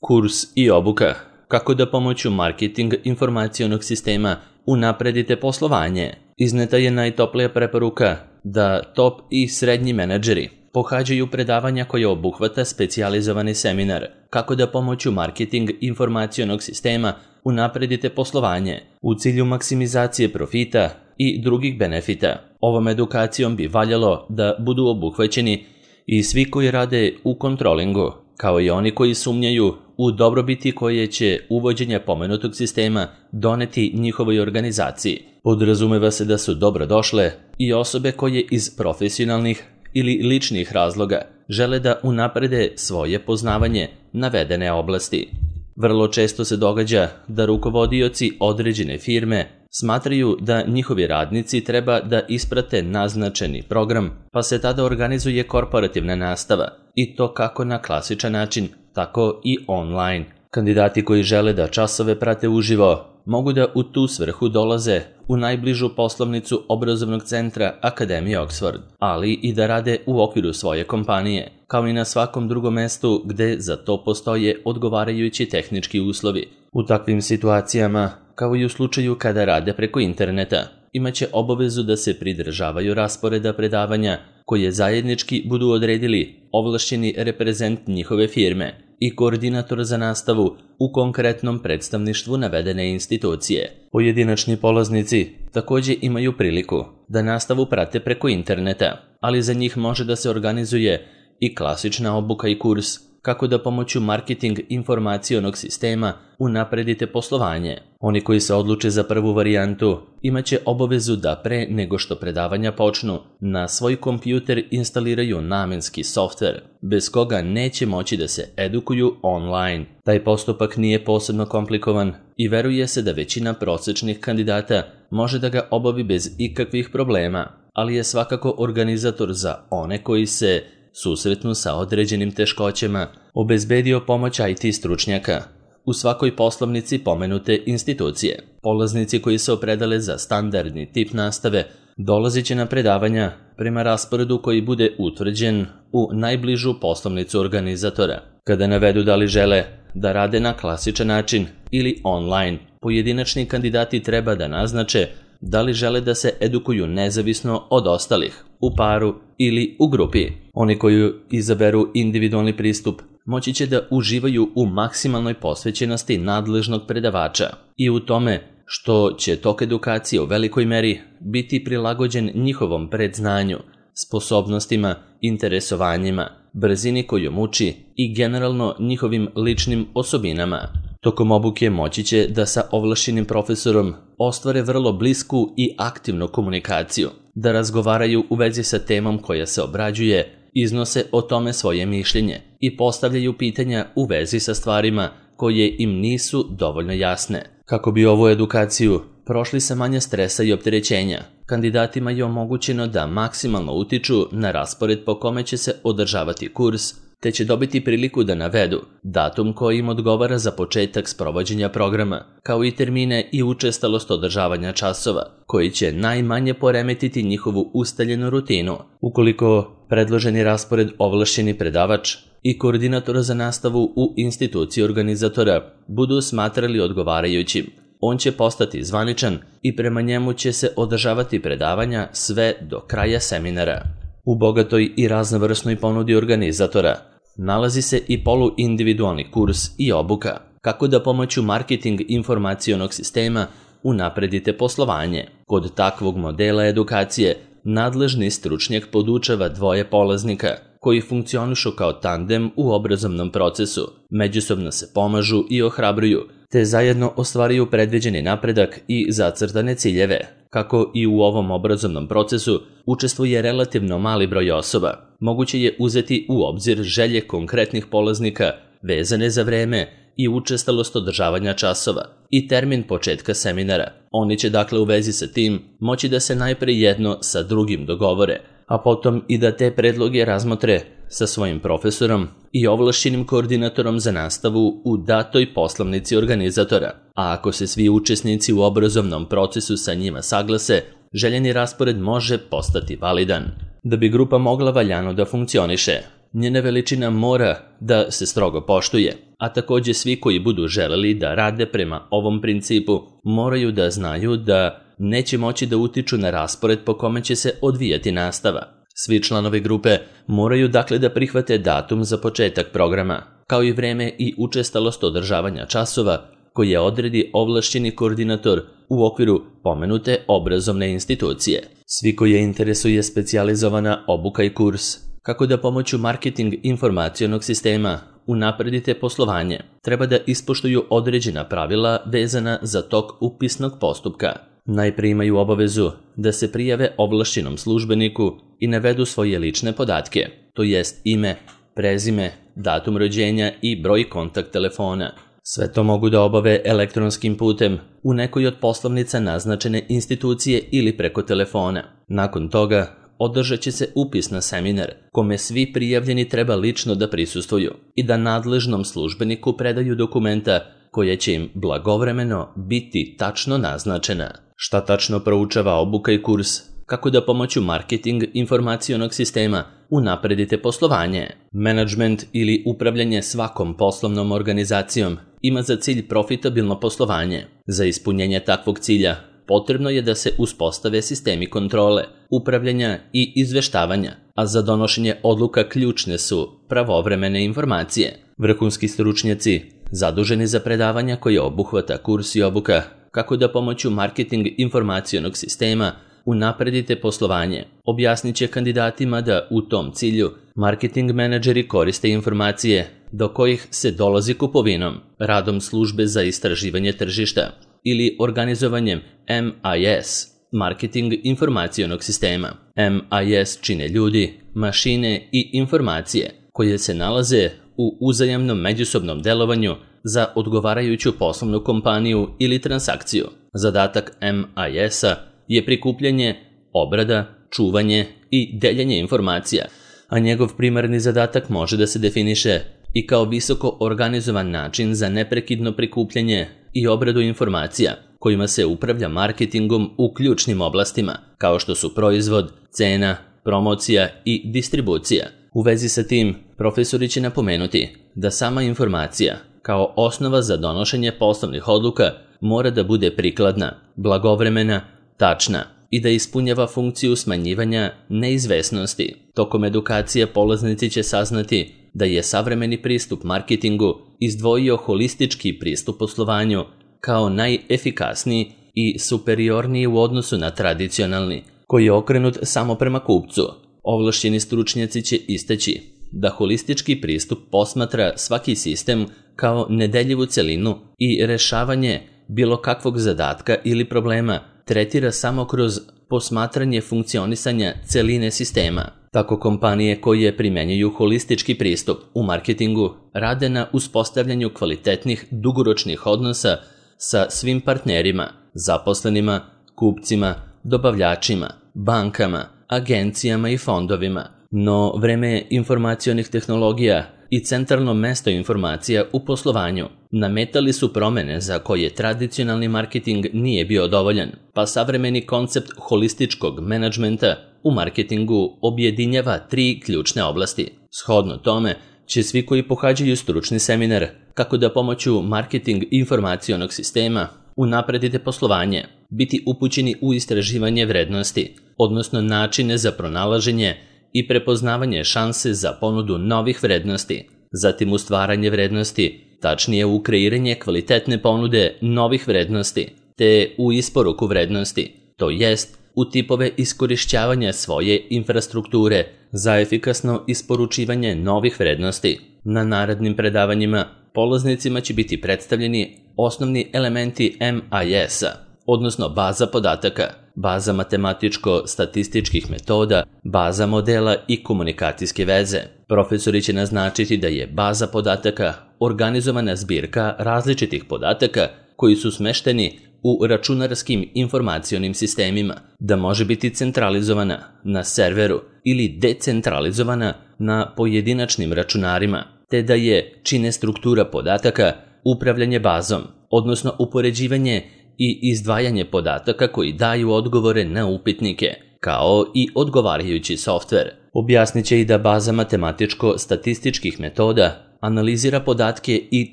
Kurs i obuka. Kako da pomoću marketing informacionog sistema unapredite poslovanje. Izneta je najtoplija preporuka da top i srednji menadžeri pohađaju predavanja koje obuhvata specijalizovani seminar kako da pomoću marketing informacionog sistema unapredite poslovanje u cilju maksimizacije profita i drugih benefita. Ovom edukacijom bi valjalo da budu obuhvaćeni i svi koji rade u kontrolingu, kao i oni koji sumnjaju u dobrobiti koje će uvođenje pomenutog sistema doneti njihovoj organizaciji. Podrazumeva se da su dobrodošle i osobe koje iz profesionalnih ili ličnih razloga žele da unaprede svoje poznavanje navedene oblasti. Vrlo često se događa da rukovodioci određene firme smatraju da njihovi radnici treba da isprate naznačeni program, pa se tada organizuje korporativna nastava, i to kako na klasičan način, tako i online. Kandidati koji žele da časove prate uživo mogu da u tu svrhu dolaze u najbližu poslovnicu obrazovnog centra Akademije Oxford, ali i da rade u okviru svoje kompanije, kao i na svakom drugom mestu gde za to postoje odgovarajući tehnički uslovi. U takvim situacijama, kao i u slučaju kada rade preko interneta, imaće obavezu da se pridržavaju rasporeda predavanja koje zajednički budu odredili ovlašćeni reprezent njihove firme i koordinator za nastavu u konkretnom predstavništvu navedene institucije. Pojedinačni polaznici takođe imaju priliku da nastavu prate preko interneta, ali za njih može da se organizuje i klasična obuka i kurs kako da pomoću marketing informacionog sistema unapredite poslovanje. Oni koji se odluče za prvu varijantu imaće obavezu da pre nego što predavanja počnu na svoj kompjuter instaliraju namenski softver, bez koga neće moći da se edukuju online. Taj postupak nije posebno komplikovan i veruje se da većina prosečnih kandidata može da ga obavi bez ikakvih problema, ali je svakako organizator za one koji se susretnu sa određenim teškoćama obezbedio pomoć IT stručnjaka u svakoj poslovnici pomenute institucije. Polaznici koji se opredele za standardni tip nastave dolazit će na predavanja prema rasporedu koji bude utvrđen u najbližu poslovnicu organizatora. Kada navedu da li žele da rade na klasičan način ili online, pojedinačni kandidati treba da naznače da li žele da se edukuju nezavisno od ostalih, u paru ili u grupi. Oni koji izaberu individualni pristup moći će da uživaju u maksimalnoj posvećenosti nadležnog predavača i u tome što će tok edukacije u velikoj meri biti prilagođen njihovom predznanju, sposobnostima, interesovanjima, brzini kojom uči i generalno njihovim ličnim osobinama. Tokom obuke moći će da sa ovlašćenim profesorom ostvare vrlo blisku i aktivnu komunikaciju, da razgovaraju u vezi sa temom koja se obrađuje, iznose o tome svoje mišljenje i postavljaju pitanja u vezi sa stvarima koje im nisu dovoljno jasne. Kako bi ovu edukaciju prošli sa manje stresa i opterećenja, kandidatima je omogućeno da maksimalno utiču na raspored po kome će se održavati kurs, te će dobiti priliku da navedu datum koji im odgovara za početak sprovođenja programa, kao i termine i učestalost održavanja časova, koji će najmanje poremetiti njihovu ustaljenu rutinu. Ukoliko predloženi raspored ovlašćeni predavač i koordinator za nastavu u instituciji organizatora budu smatrali odgovarajućim, on će postati zvaničan i prema njemu će se održavati predavanja sve do kraja seminara. U bogatoj i raznovrsnoj ponudi organizatora nalazi se i poluindividualni kurs i obuka kako da pomoću marketing informacionog sistema unapredite poslovanje. Kod takvog modela edukacije nadležni stručnjak podučava dvoje polaznika koji funkcionišu kao tandem u obrazovnom procesu, međusobno se pomažu i ohrabruju, te zajedno ostvaruju predviđeni napredak i zacrtane ciljeve. Kako i u ovom obrazovnom procesu učestvuje relativno mali broj osoba, moguće je uzeti u obzir želje konkretnih polaznika vezane za vreme i učestalost održavanja časova i termin početka seminara. Oni će dakle u vezi sa tim moći da se najpre jedno sa drugim dogovore, a potom i da te predloge razmotre sa svojim profesorom i ovlašćenim koordinatorom za nastavu u datoj poslovnici organizatora. A ako se svi učesnici u obrazovnom procesu sa njima saglase, željeni raspored može postati validan. Da bi grupa mogla valjano da funkcioniše, njena veličina mora da se strogo poštuje, a takođe svi koji budu želeli da rade prema ovom principu moraju da znaju da neće moći da utiču na raspored po kome će se odvijati nastava. Svi članovi grupe moraju dakle da prihvate datum za početak programa, kao i vreme i učestalost održavanja časova koje odredi ovlašćeni koordinator u okviru pomenute obrazovne institucije. Svi koje interesuje specijalizovana obuka i kurs kako da pomoću marketing informacionog sistema unapredite poslovanje, treba da ispoštuju određena pravila vezana za tok upisnog postupka. Najprije imaju obavezu da se prijave ovlašćenom službeniku i navedu svoje lične podatke, to jest ime, prezime, datum rođenja i broj kontakt telefona. Sve to mogu da obave elektronskim putem u nekoj od poslovnica naznačene institucije ili preko telefona. Nakon toga održat će se upis na seminar kome svi prijavljeni treba lično da prisustvuju i da nadležnom službeniku predaju dokumenta koje će im blagovremeno biti tačno naznačena. Šta tačno proučava obuka i kurs? Kako da pomoću marketing informacionog sistema unapredite poslovanje? Menadžment ili upravljanje svakom poslovnom organizacijom ima za cilj profitabilno poslovanje. Za ispunjenje takvog cilja potrebno je da se uspostave sistemi kontrole, upravljanja i izveštavanja, a za donošenje odluka ključne su pravovremene informacije. Vrhunski stručnjaci zaduženi za predavanja koje obuhvata kurs i obuka kako da pomoću marketing informacionog sistema unapredite poslovanje, objasnit će kandidatima da u tom cilju marketing menadžeri koriste informacije do kojih se dolazi kupovinom, radom službe za istraživanje tržišta ili organizovanjem MIS, marketing informacionog sistema. MIS čine ljudi, mašine i informacije koje se nalaze u uzajamnom međusobnom delovanju za odgovarajuću poslovnu kompaniju ili transakciju. Zadatak MIS-a je prikupljanje, obrada, čuvanje i deljenje informacija, a njegov primarni zadatak može da se definiše i kao visoko organizovan način za neprekidno prikupljanje i obradu informacija kojima se upravlja marketingom u ključnim oblastima, kao što su proizvod, cena, promocija i distribucija. U vezi sa tim, profesori će napomenuti da sama informacija, kao osnova za donošenje poslovnih odluka, mora da bude prikladna, blagovremena, tačna i da ispunjava funkciju smanjivanja neizvesnosti. Tokom edukacije polaznici će saznati da je savremeni pristup marketingu izdvojio holistički pristup poslovanju kao najefikasniji i superiorniji u odnosu na tradicionalni, koji je okrenut samo prema kupcu. Ovlašćeni stručnjaci će istaći da holistički pristup posmatra svaki sistem kao nedeljivu celinu i rešavanje bilo kakvog zadatka ili problema tretira samo kroz posmatranje funkcionisanja celine sistema. Tako kompanije koje primenjuju holistički pristup u marketingu rade na uspostavljanju kvalitetnih dugoročnih odnosa sa svim partnerima, zaposlenima, kupcima, dobavljačima, bankama, agencijama i fondovima. No vreme informacionih tehnologija i centralno mesto informacija u poslovanju nametali su promene za koje tradicionalni marketing nije bio dovoljan, pa savremeni koncept holističkog menadžmenta u marketingu objedinjava 3 ključne oblasti. Shodno tome će svi koji pohađaju stručni seminar kako da pomoću marketing informacionog sistema unapredite poslovanje, biti upućeni u istraživanje vrednosti, odnosno načine za pronalaženje i prepoznavanje šanse za ponudu novih vrednosti, zatim u stvaranje vrednosti, tačnije u kreiranje kvalitetne ponude novih vrednosti, te u isporuku vrednosti, to jest u tipove iskorišćavanja svoje infrastrukture za efikasno isporučivanje novih vrednosti. Na narednim predavanjima polaznicima će biti predstavljeni osnovni elementi MIS-a, odnosno baza podataka, baza matematičko-statističkih metoda, baza modela i komunikacijske veze. Profesori će naznačiti da je baza podataka organizovana zbirka različitih podataka koji su smešteni u računarskim informacionim sistemima, da može biti centralizovana na serveru ili decentralizovana na pojedinačnim računarima, te da je, čine struktura podataka, upravljanje bazom, odnosno upoređivanje i izdvajanje podataka koji daju odgovore na upitnike, kao i odgovarajući softver. Objasnit će i da baza matematičko-statističkih metoda analizira podatke i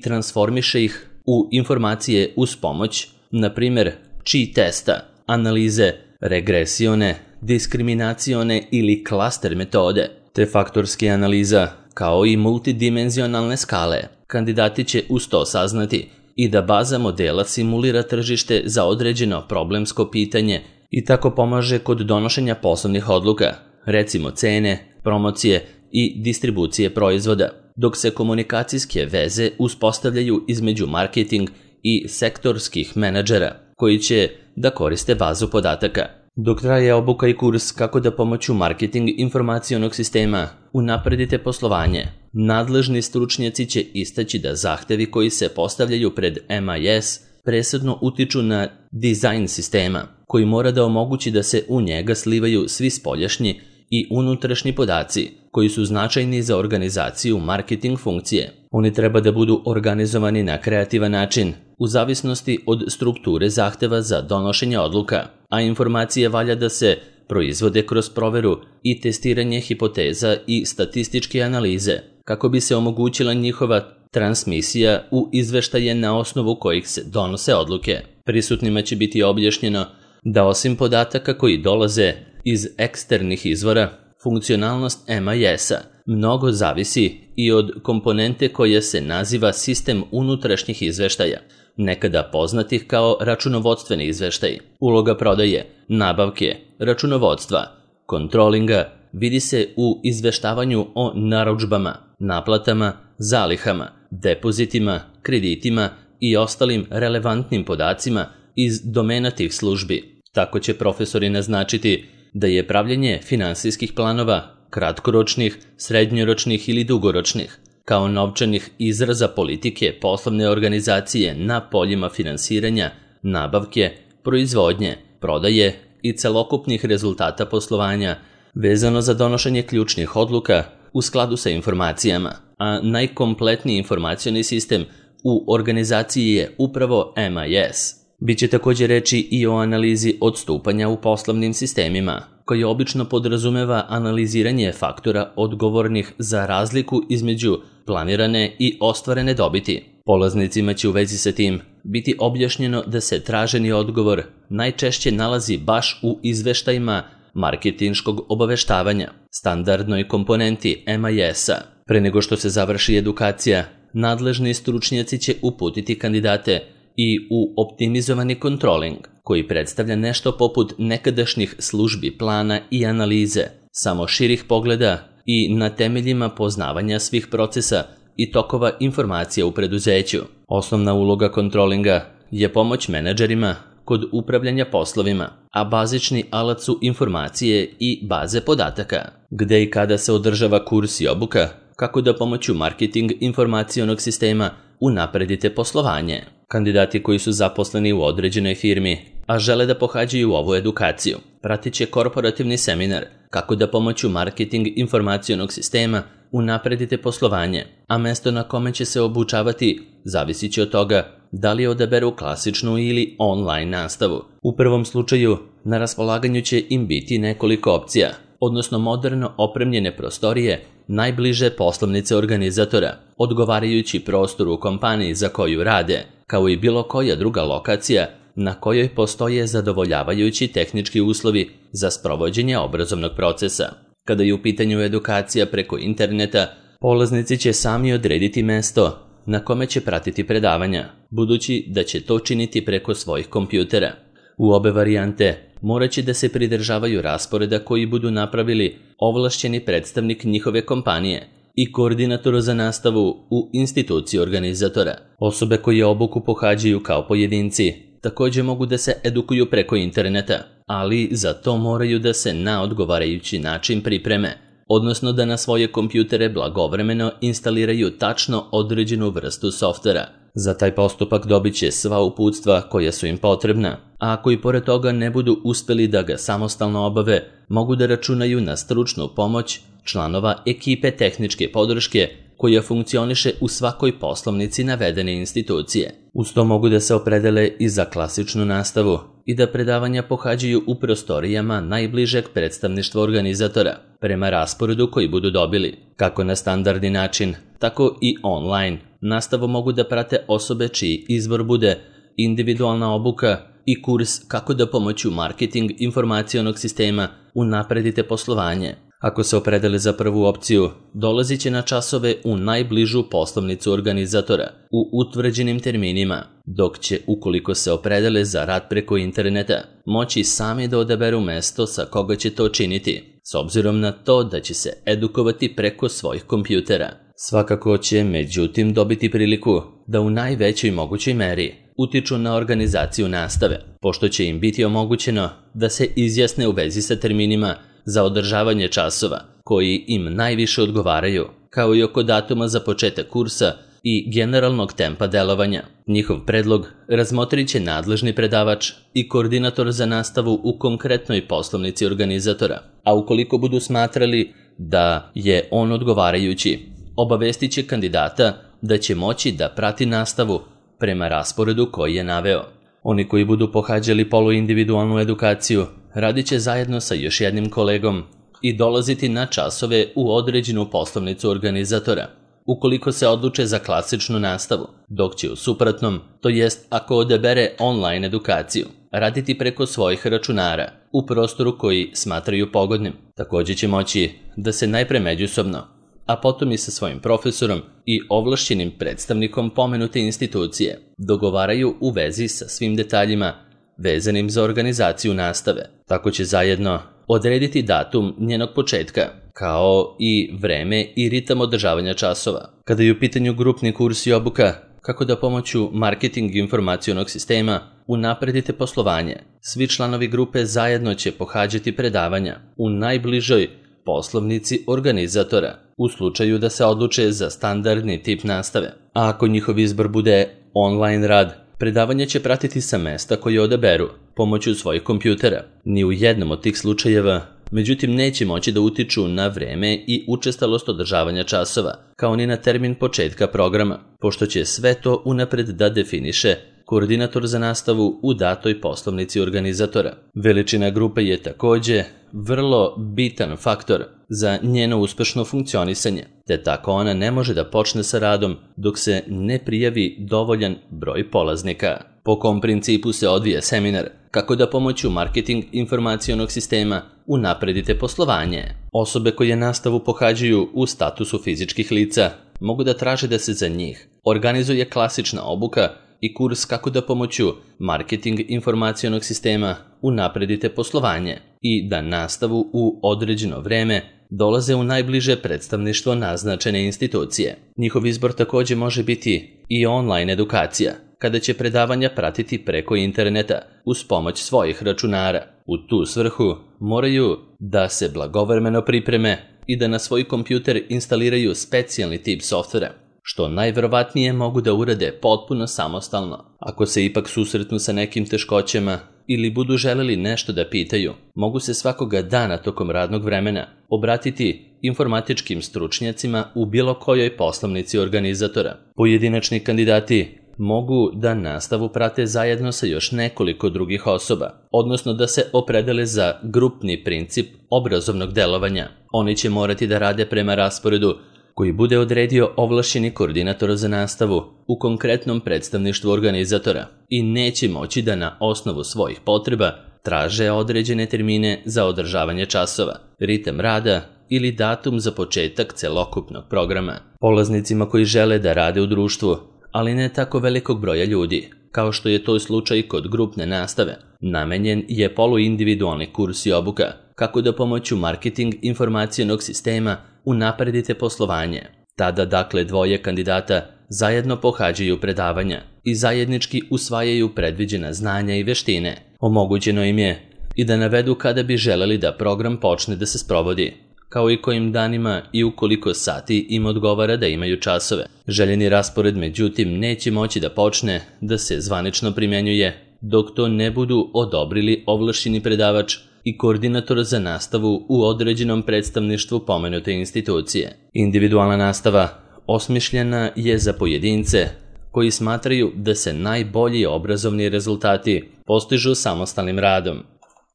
transformiše ih u informacije uz pomoć, na primjer, chi testa, analize regresione, diskriminacione ili klaster metode, te faktorske analiza, kao i multidimenzionalne skale. Kandidati će uz to saznati i da baza modela simulira tržište za određeno problemsko pitanje i tako pomaže kod donošenja poslovnih odluka, recimo cene, promocije i distribucije proizvoda, dok se komunikacijske veze uspostavljaju između marketing i sektorskih menadžera, koji će da koriste bazu podataka. Dok traje obuka i kurs kako da pomoću marketing informacionog sistema unapredite poslovanje, nadležni stručnjaci će istaći da zahtevi koji se postavljaju pred MIS presudno utiču na dizajn sistema, koji mora da omogući da se u njega slivaju svi spoljašnji i unutrašnji podaci koji su značajni za organizaciju marketing funkcije. Oni treba da budu organizovani na kreativan način, u zavisnosti od strukture zahteva za donošenje odluka, a informacije valja da se proizvode kroz proveru i testiranje hipoteza i statističke analize, kako bi se omogućila njihova transmisija u izveštaje na osnovu kojih se donose odluke. Prisutnima će biti objašnjeno da osim podataka koji dolaze iz eksternih izvora, funkcionalnost MIS-a mnogo zavisi i od komponente koja se naziva sistem unutrašnjih izveštaja, nekada poznatih kao računovodstveni izveštaj. Uloga prodaje, nabavke, računovodstva, kontrolinga vidi se u izveštavanju o narudžbama, naplatama, zalihama, depozitima, kreditima i ostalim relevantnim podacima iz domena tih službi. Tako će profesori naznačiti da je pravljenje finansijskih planova, kratkoročnih, srednjoročnih ili dugoročnih, kao novčanih izraza politike poslovne organizacije na poljima finansiranja, nabavke, proizvodnje, prodaje i celokupnih rezultata poslovanja, vezano za donošenje ključnih odluka u skladu sa informacijama, a najkompletniji informacioni sistem u organizaciji je upravo MIS. Biće također reči i o analizi odstupanja u poslovnim sistemima, koji obično podrazumeva analiziranje faktora odgovornih za razliku između planirane i ostvarene dobiti. Polaznicima će u vezi sa tim biti objašnjeno da se traženi odgovor najčešće nalazi baš u izveštajima marketinškog obaveštavanja, standardnoj komponenti MIS-a. Pre nego što se završi edukacija, nadležni stručnjaci će uputiti kandidate i u optimizovani kontroling, koji predstavlja nešto poput nekadašnjih službi plana i analize, samo širih pogleda i na temeljima poznavanja svih procesa i tokova informacija u preduzeću. Osnovna uloga kontrolinga je pomoć menadžerima kod upravljanja poslovima, a bazični alat su informacije i baze podataka. Gde i kada se održava kurs i obuka, kako da pomoću marketing informacionog sistema unapredite poslovanje. Kandidati koji su zaposleni u određenoj firmi, a žele da pohađaju ovu edukaciju, pratit će korporativni seminar kako da pomoću marketing informacionog sistema unapredite poslovanje, a mesto na kome će se obučavati zavisit će od toga da li odaberu klasičnu ili online nastavu. U prvom slučaju, na raspolaganju će im biti nekoliko opcija, odnosno moderno opremljene prostorije najbliže poslovnice organizatora, odgovarajući prostoru u kompaniji za koju rade, kao i bilo koja druga lokacija na kojoj postoje zadovoljavajući tehnički uslovi za sprovođenje obrazovnog procesa. Kada je u pitanju edukacija preko interneta, polaznici će sami odrediti mesto na kome će pratiti predavanja, budući da će to činiti preko svojih kompjutera. U obe varijante morat će da se pridržavaju rasporeda koji budu napravili ovlašćeni predstavnik njihove kompanije i koordinator za nastavu u instituciji organizatora. Osobe koje obuku pohađaju kao pojedinci također mogu da se edukuju preko interneta, ali za to moraju da se na odgovarajući način pripreme, odnosno da na svoje kompjutere blagovremeno instaliraju tačno određenu vrstu softvera. Za taj postupak dobit će sva uputstva koja su im potrebna, a ako i pored toga ne budu uspeli da ga samostalno obave, mogu da računaju na stručnu pomoć članova ekipe tehničke podrške koja funkcioniše u svakoj poslovnici navedene institucije. Uz to mogu da se opredele i za klasičnu nastavu i da predavanja pohađaju u prostorijama najbližeg predstavništva organizatora, prema rasporedu koji budu dobili. Kako na standardni način, tako i online. Nastavu mogu da prate osobe čiji izbor bude individualna obuka i kurs kako da pomoću marketing informacionog sistema unapredite poslovanje. Ako se opredele za prvu opciju, dolazit će na časove u najbližu poslovnicu organizatora u utvrđenim terminima, dok će, ukoliko se opredele za rad preko interneta, moći sami da odaberu mesto sa koga će to činiti, s obzirom na to da će se edukovati preko svojih kompjutera. Svakako će, međutim, dobiti priliku da u najvećoj mogućoj meri utiču na organizaciju nastave, pošto će im biti omogućeno da se izjasne u vezi sa terminima za održavanje časova koji im najviše odgovaraju, kao i oko datuma za početak kursa i generalnog tempa delovanja. Njihov predlog razmotrit će nadležni predavač i koordinator za nastavu u konkretnoj poslovnici organizatora, a ukoliko budu smatrali da je on odgovarajući, obavestit će kandidata da će moći da prati nastavu prema rasporedu koji je naveo. Oni koji budu pohađali poluindividualnu edukaciju radit će zajedno sa još jednim kolegom i dolaziti na časove u određenu poslovnicu organizatora, ukoliko se odluče za klasičnu nastavu, dok će u suprotnom, to jest ako odabere online edukaciju, raditi preko svojih računara u prostoru koji smatraju pogodnim. Također će moći da se najpre međusobno, a potom i sa svojim profesorom i ovlašćenim predstavnikom pomenute institucije dogovaraju u vezi sa svim detaljima vezanim za organizaciju nastave. Tako će zajedno odrediti datum njenog početka, kao i vreme i ritam održavanja časova. Kada je u pitanju grupni kurs i obuka, kako da pomoću marketing informacionog sistema unapredite poslovanje, svi članovi grupe zajedno će pohađati predavanja u najbližoj poslovnici organizatora, u slučaju da se odluče za standardni tip nastave. A ako njihov izbor bude online rad, predavanje će pratiti sa mesta koje odaberu pomoću svojih kompjutera. Ni u jednom od tih slučajeva, međutim, neće moći da utiču na vreme i učestalost održavanja časova, kao ni na termin početka programa, pošto će sve to unapred da definiše koordinator za nastavu u datoj poslovnici organizatora. Veličina grupe je također vrlo bitan faktor za njeno uspešno funkcionisanje, te tako ona ne može da počne sa radom dok se ne prijavi dovoljan broj polaznika. Po kom principu se odvija seminar, kako da pomoću marketing informacionog sistema unapredite poslovanje. Osobe koje nastavu pohađaju u statusu fizičkih lica mogu da traže da se za njih organizuje klasična obuka i kurs kako da pomoću marketing informacionog sistema unapredite poslovanje i da nastavu u određeno vreme dolaze u najbliže predstavništvo naznačene institucije. Njihov izbor također može biti i online edukacija, kada će predavanja pratiti preko interneta uz pomoć svojih računara. U tu svrhu moraju da se blagovremeno pripreme i da na svoj kompjuter instaliraju specijalni tip softvera, što najverovatnije mogu da urade potpuno samostalno. Ako se ipak susretnu sa nekim teškoćama ili budu želeli nešto da pitaju, mogu se svakoga dana tokom radnog vremena obratiti informatičkim stručnjacima u bilo kojoj poslovnici organizatora. Pojedinačni kandidati mogu da nastavu prate zajedno sa još nekoliko drugih osoba, odnosno da se opredele za grupni princip obrazovnog delovanja. Oni će morati da rade prema rasporedu koji bude odredio ovlašćeni koordinator za nastavu u konkretnom predstavništvu organizatora i neće moći da na osnovu svojih potreba traže određene termine za održavanje časova, ritam rada ili datum za početak celokupnog programa. Polaznicima koji žele da rade u društvu, ali ne tako velikog broja ljudi, kao što je to slučaj kod grupne nastave, namenjen je poluindividualni kurs i obuka, kako da pomoću marketing informacionog sistema unapredite poslovanje. Tada dakle dvoje kandidata zajedno pohađaju predavanja i zajednički usvajaju predviđena znanja i veštine. Omogućeno im je i da navedu kada bi želeli da program počne da se sprovodi, kao i kojim danima i u koliko sati im odgovara da imaju časove. Željeni raspored međutim neće moći da počne da se zvanično primjenjuje dok to ne budu odobrili ovlašćeni predavač i koordinator za nastavu u određenom predstavništvu pomenute institucije. Individualna nastava osmišljena je za pojedince koji smatraju da se najbolji obrazovni rezultati postižu samostalnim radom.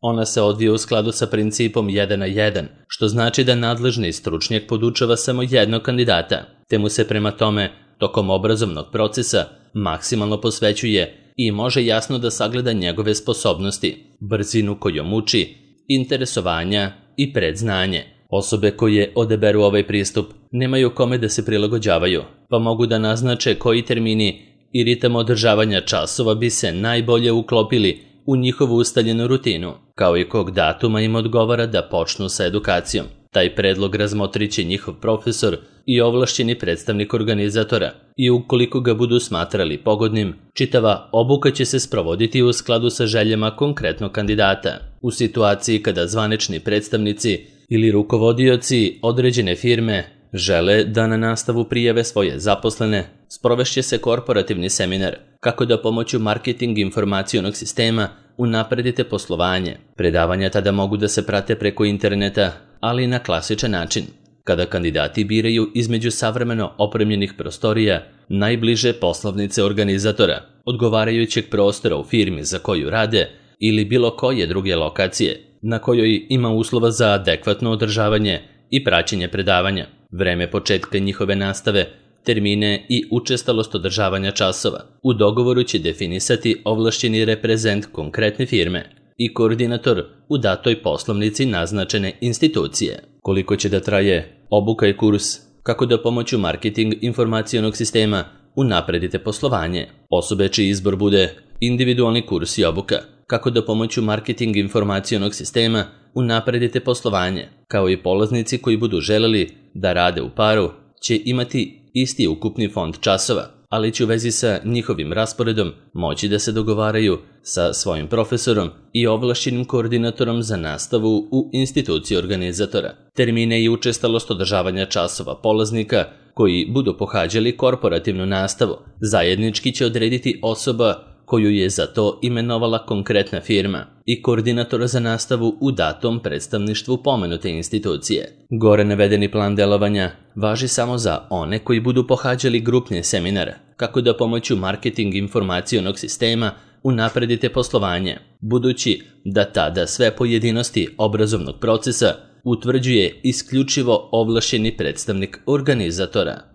Ona se odvija u skladu sa principom 1 na 1, što znači da nadležni stručnjak podučava samo jednog kandidata, te mu se prema tome tokom obrazovnog procesa maksimalno posvećuje i može jasno da sagleda njegove sposobnosti, brzinu kojom uči, interesovanja i predznanje. Osobe koje odaberu ovaj pristup nemaju kome da se prilagođavaju, pa mogu da naznače koji termini i ritam održavanja časova bi se najbolje uklopili u njihovu ustaljenu rutinu, kao i kog datuma im odgovara da počnu sa edukacijom. Taj predlog razmotrit će njihov profesor i ovlašćeni predstavnik organizatora i ukoliko ga budu smatrali pogodnim, čitava obuka će se sprovoditi u skladu sa željama konkretnog kandidata. U situaciji kada zvanični predstavnici ili rukovodioci određene firme žele da na nastavu prijave svoje zaposlene, sprovešće se korporativni seminar kako da pomoću marketing informacionog sistema unapredite poslovanje. Predavanja tada mogu da se prate preko interneta, ali na klasičan način, kada kandidati biraju između savremeno opremljenih prostorija najbliže poslovnice organizatora, odgovarajućeg prostora u firmi za koju rade ili bilo koje druge lokacije na kojoj ima uslova za adekvatno održavanje i praćenje predavanja, vreme početka njihove nastave, termine i učestalost održavanja časova. U dogovoru će definisati ovlašćeni reprezent konkretne firme i koordinator u datoj poslovnici naznačene institucije. Koliko će da traje obuka i kurs, kako da pomoću marketing informacionog sistema unapredite poslovanje. Osobe čiji izbor bude individualni kurs i obuka, kako da pomoću marketing informacionog sistema unapredite poslovanje, kao i polaznici koji budu želeli da rade u paru, će imati isti ukupni fond časova, ali će u vezi sa njihovim rasporedom moći da se dogovaraju sa svojim profesorom i ovlašćenim koordinatorom za nastavu u instituciji organizatora. Termine i učestalost održavanja časova polaznika koji budu pohađali korporativnu nastavu zajednički će odrediti osoba koju je za to imenovala konkretna firma i koordinatora za nastavu u datom predstavništvu pomenute institucije. Gore navedeni plan delovanja važi samo za one koji budu pohađali grupne seminare, kako da pomoću marketing informacionog sistema unapredite poslovanje, budući da tada sve pojedinosti obrazovnog procesa utvrđuje isključivo ovlašćeni predstavnik organizatora.